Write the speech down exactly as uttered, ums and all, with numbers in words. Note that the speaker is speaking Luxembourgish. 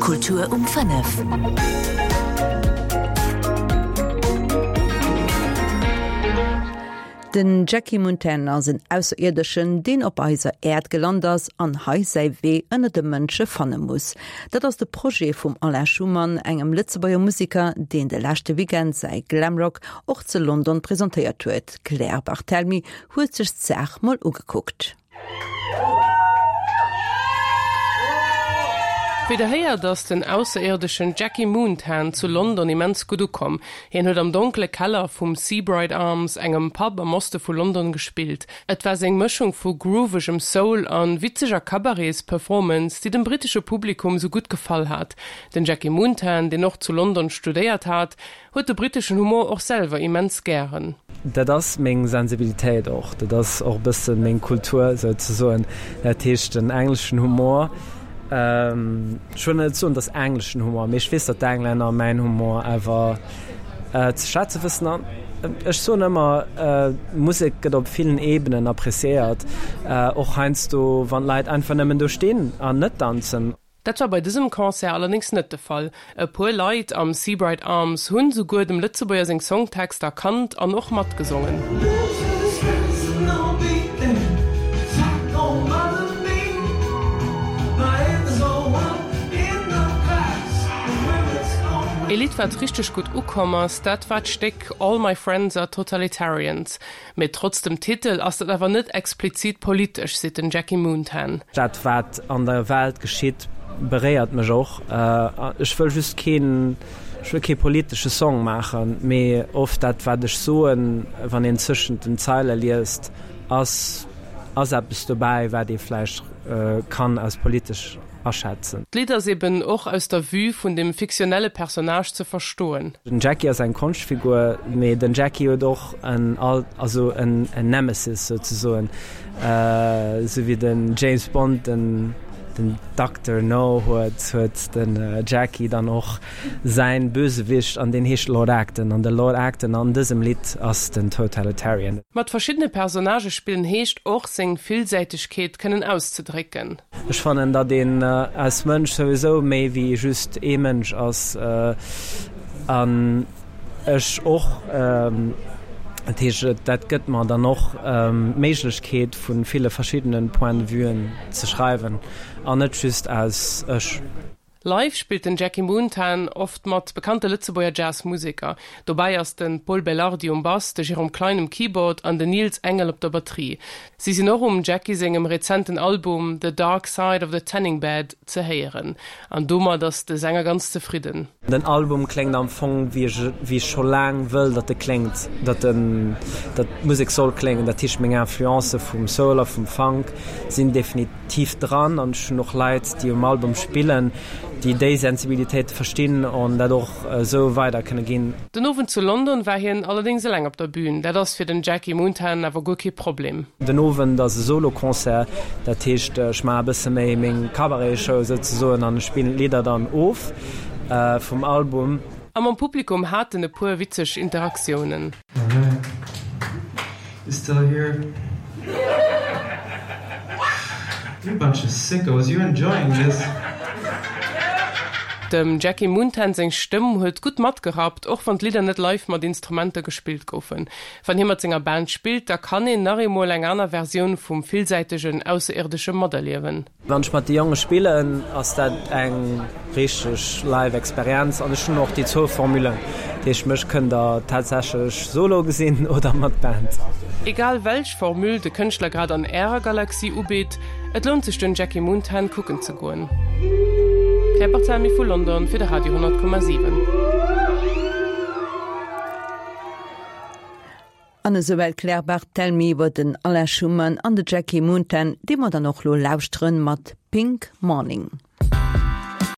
Kultur um fënnef. Den Jackie Montaigne ass en Ausserierdeschen, deen op eiser Äerd gelant ass an hei säi Wee ënner de Mënsche fanne muss. Dat ass de Projet vum Alain Schumann, engem Lëtzebuerger Museker, deen de leschte Weekend säi Glamrock och zu London presentéiert huet. D'Claire Barthelmy huet sech d'Saach mol ugekuckt. Wéi der héiert ass den Ausserierdeschen Jackie Moontan zu London immens gutt ukomm. Hien huet am donkele Keller vum Seabright Arms, engem Pub am Oste vu London, gespillt. Et war seng Mëschung vu groovegem Soul an witzeger Cabarets-Performance, déi dem brittesche Publikum sou gutt gefall hat. Den Jackie Moontan, deen och zu London studéiert hat, huet de britteschen Humor och selwer immens gären. Dat ass meng Sensibilitéit och, dat ass och e bësse meng Kultur souzesoen. Dat heescht den engleschen Humor, ech wëll net soen, et ass engleschen Humor, mee ech weess, datt d'Englänner mäin Humor awer ze schätze wëssen. An ech soen ëmmer, Musek gëtt op villen Ebenen appreciéiert, och heiansdo wann d'Leit einfach nëmmen do stinn an net danzen. Dat war bei dësem Concert allerdéngs net de Fall. E puer Leit am Seabright Arms hunn souguer dem Lëtzebuerger seng Songtexter erkannt an och matgesongen. Ee Lidd wat richteg gutt ukomm ass, dat war d'Stéck All My Friends Are Totalitarians. Mee trotz dem Titel ass dat awer net explizit politesch, seet den Jackie Moontan. Dat wat an der Welt geschitt beréiert mech och. Ech wëll just keen, ech wëll kee politesche Song maachen, mee oft dat wat ech soen, wann een zwëschent den Zeile liest, ass ass eppes dobäi wat ee vläicht kann als politesch aschätzen. D'Lidd ass eben och aus der Vue vun dem fiktionelle Personnage ze verstoen. Den Jackie ass eng Konschtfigur, mee den Jackie huet och en Alt, also en Nemesis souzesoen, esou wéi den James Bond den den Dokter No huet, huet den Jackie dann och säin Bösewicht an deen heescht Lord Acton an de Lord Acton an dësem Lidd ass den Totalitarian. Mat verschiddene Personnagë spillen heescht och, seng Villsäitegkeet kënnen auszedrécken. Ech fannen, datt een als Mënsch souwisou méi wéi just ee Mënsch ass an ech och, dat heescht, dat gëtt mer dann och d'Méiglechkeet vu ville verschiddene Point de vuen ze schreiwen an net just aus ech. Live spillt den Jackie Moontan oft mat bekannte Lëtzebuerger Jazz-Museker. Dobäi ass de Pol Belardi um Bass, de Jérôme Klein um Keyboard an den Nils Engel op der Batterie. Si sinn och um Jackie sengem rezenten Album The Dark Side of the Tanning Bed ze héieren. An domat ass de Sänger ganz zefridden. Den Album kléngt am Fong wéi ech wéi ech scho laang wëll datt e kléngt, datt en datt d'Musek soll kléngen. Dat heescht meng Influencë vum Soul a vum Funk sinn definitiv dran an ech hunn och Leit déi um Album spillen, déi déi Sensibilitéite verstinn an dat och esou weider kënne ginn. Den Owend zu London war hien allerdéngs eleng op der Bün. Dat ass fir den Jackie Moontan awer guer kee Problem. Den Owend ass e Solo-Concert, dat heescht ech maache e bësse méi meng Cabaret-Show souzesoen an ech spillen d'Lidder dann of vum Album. A mam Publikum hat en e puer witzeg Interaktiounen. You still here? You bunch of sickos, you enjoying this? Dem Jackie Moontan seng Stëmm huet gutt matgerappt, och wann d'Lidder net live mat Instrumenter gespillt goufen. Wann hie mat senger Band spillt, da kann een nach eemol eng aner Versioun vum villsäitegen Ausserierdesche materliewen. Wann ech mat de Jonge spillen, ass dat eng richteg live Experienz an ech hunn och déi zwou Formulen. Dat heescht, mech kënnt der tatsächlech solo gesinn oder mat Band. Egal welch Formule de Kënschtler grad an ärer Galaxie ubitt, et lount sech den Jackie Moontan kucken ze goen. Claire Barthelmy vu London fir de Radio honnert Komma siwen. An esouwäit d'Claire Barthelmy iwwer den Alain Schumann an de Jackie Moontan, dee mer dann och lo lauschteren mat Pink Morning.